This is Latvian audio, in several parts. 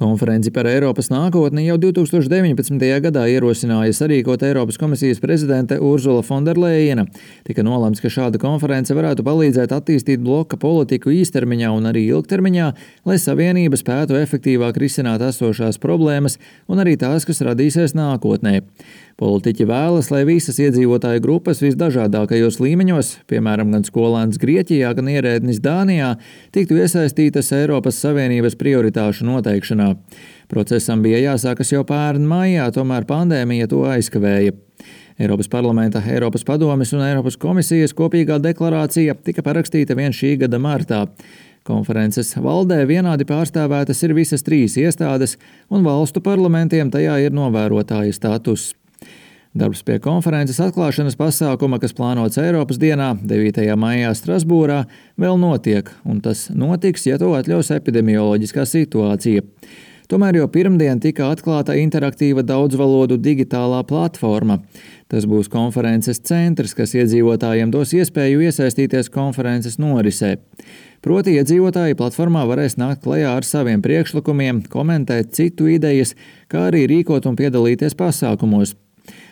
Konferenci par Eiropas nākotni jau 2019. gadā ierosināja sarīkot Eiropas komisijas prezidente Urzula Fonderlejena. Tika nolemts, ka šāda konference varētu palīdzēt attīstīt bloka politiku īstermiņā un arī ilgtermiņā, lai Savienība spētu efektīvāk risināt esošās problēmas un arī tās, kas radīsies nākotnē. Politiķi vēlas, lai visas iedzīvotāju grupas visdažādākajos līmeņos, piemēram, gan skolēns Grieķijā, gan ierēdnis Dānijā, tiktu iesaistītas Eiropas Savienības prioritāšu noteikšanā. Procesam bija jāsākas jau pērn maijā, tomēr pandēmija to aizkavēja. Eiropas parlamenta, Eiropas padomes un Eiropas komisijas kopīgā deklarācija tika parakstīta vien šī gada martā. Konferences valdē vienādi pārstāvētas ir visas 3 iestādes, un valstu parlamentiem tajā ir novērotāja status. Darbs pie konferences atklāšanas pasākuma, kas plānots Eiropas dienā, 9. maijā Strasbūrā, vēl notiek, un tas notiks, ja to atļaus epidemioloģiskā situācija. Tomēr jau pirmdien tika atklāta interaktīva daudzvalodu digitālā platforma. Tas būs konferences centrs, kas iedzīvotājiem dos iespēju iesaistīties konferences norisē. Proti iedzīvotāji platformā varēs nākt klajā ar saviem priekšlikumiem, komentēt citu idejas, kā arī rīkot un piedalīties pasākumos.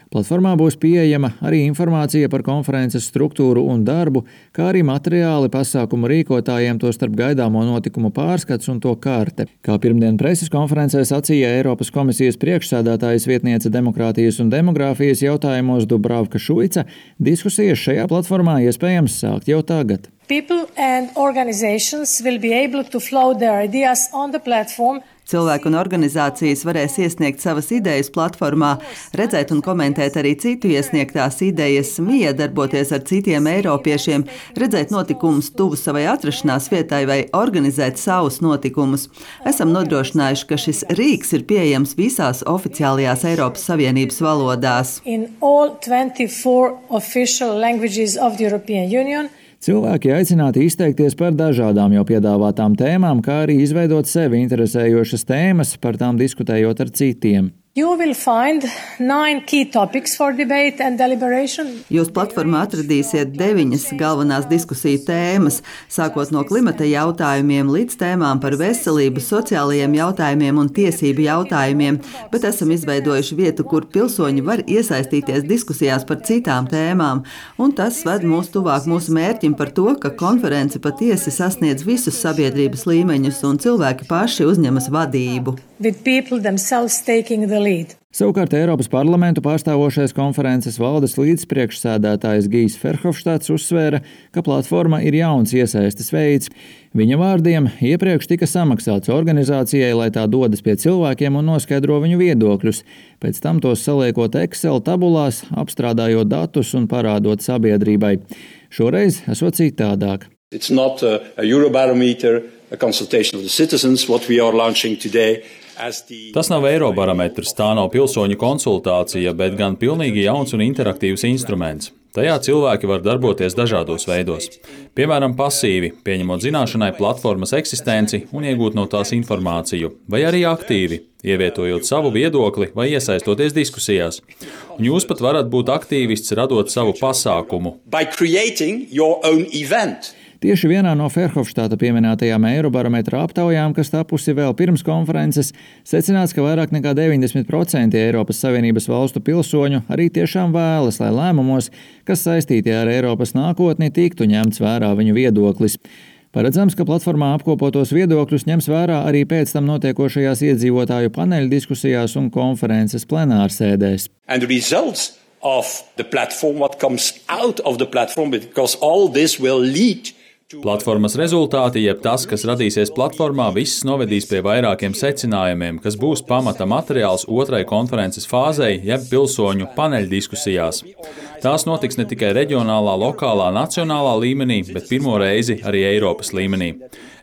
Platformā būs pieejama arī informācija par konferences struktūru un darbu, kā arī materiāli pasākumu rīkotājiem, tostarp gaidāmo notikumu pārskats un to karte. Kā pirmdien preses konferencē sacīja Eiropas komisijas priekšsēdētājas vietniece demokrātijas un demogrāfijas jautājumos Dubravka Šuica, diskusijas šajā platformā iespējams sākt jau tagad. People and organizations will be able to float their ideas on the platform. Cilvēki un organizācijas varēs iesniegt savas idejas platformā, redzēt un komentēt arī citu iesniegtās idejas, miedarboties ar citiem eiropiešiem, redzēt notikumus tuvu savai atrašanās vietai vai organizēt savus notikumus. Esam nodrošinājuši, ka šis rīks ir pieejams visās oficiālajās Eiropas Savienības valodās. In all 24 official languages of the European Union. Cilvēki aicināti izteikties par dažādām jau piedāvātām tēmām, kā arī izveidot sevi interesējošas tēmas, par tām diskutējot ar citiem. You will find 9 key topics for debate and deliberation. Jūs platformā atradīsiet 9 galvenās diskusiju tēmas, sākot no klimata jautājumiem līdz tēmām par veselību, sociālajiem jautājumiem un tiesību jautājumiem, bet esam izveidojuši vietu, kur pilsoņi var iesaistīties diskusijās par citām tēmām, un tas ved mūs tuvāk mūsu mērķim par to, ka konference patiesi sasniedz visus sabiedrības līmeņus un cilvēki paši uzņemas vadību. With people themselves taking the lead. Savukārt Eiropas parlamentu pārstāvošais konferences valdes līdzpriekšsēdētājs Gijs Ferhofštāts uzsvēra, ka platforma ir jauns iesaistes veids. Viņa vārdiem iepriekš tika samaksāts organizācijai, lai tā dodas pie cilvēkiem un noskaidro viņu viedokļus, pēc tam tos saliekot Excel tabulās, apstrādājot datus un parādot sabiedrībai. Šoreiz esot citādāk. It's not a Eurobarometer, a consultation of the citizens, what we are launching today. Tas nav Eirobarometrs, tā nav pilsoņu konsultācija, bet gan pilnīgi jauns un interaktīvs instruments. Tajā cilvēki var darboties dažādos veidos. Piemēram, pasīvi, pieņemot zināšanai platformas eksistenci un iegūt no tās informāciju, vai arī aktīvi, ievietojot savu viedokli vai iesaistoties diskusijās. Un jūs pat varat būt aktīvists, radot savu pasākumu. By creating your own event. Tieši vienā no Ferhofštāta pieminētajām Eirobarometra aptaujām, kas tapusi vēl pirms konferences, secināts, ka vairāk nekā 90% Eiropas Savienības valstu pilsoņu arī tiešām vēlas, lai lēmumos, kas saistīti ar Eiropas nākotni, tiktu ņemts vērā viņu viedoklis. Paredzams, ka platformā apkopotos viedokļus ņems vērā arī pēc tam notiekošajās iedzīvotāju paneļu diskusijās un konferences plenārsēdēs. And the results of the platform, what comes out of the platform, because all this will lead. Platformas rezultāti, jeb tas, kas radīsies platformā, viss novedīs pie vairākiem secinājumiem, kas būs pamata materiāls otrai konferences fāzei, jeb pilsoņu paneļdiskusijās. Tās notiks ne tikai reģionālā, lokālā, nacionālā līmenī, bet pirmo reizi arī Eiropas līmenī.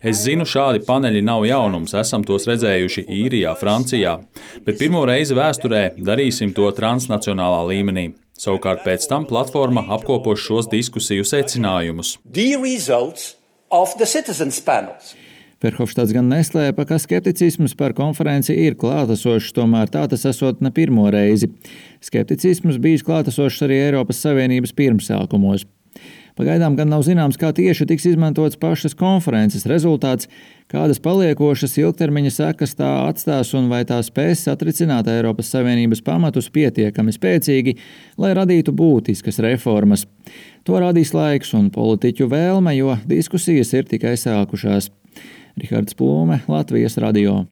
Es zinu, šādi paneļi nav jaunums, esam tos redzējuši Īrijā, Francijā, bet pirmo reizi vēsturē darīsim to transnacionālā līmenī. Savukārt pēc tam platforma apkopos šos diskusiju secinājumus. Ferhofštāts gan neslēpa, ka skepticisms par konferenci ir klātesošs, tomēr tā tas esot ne pirmo reizi. Skepticisms bijis klātesošs arī Eiropas Savienības pirmsākumos. Pagaidām gan nav zināms, kā tieši tiks izmantots pašas konferences rezultāts, kādas paliekošas ilgtermiņa sekas tā atstās un vai tā spēs satricināt Eiropas Savienības pamatus pietiekami spēcīgi, lai radītu būtiskas reformas. To rādīs laiks un politiķu vēlme, jo diskusijas ir tikai sākušās. Rihards Plūme, Latvijas radio.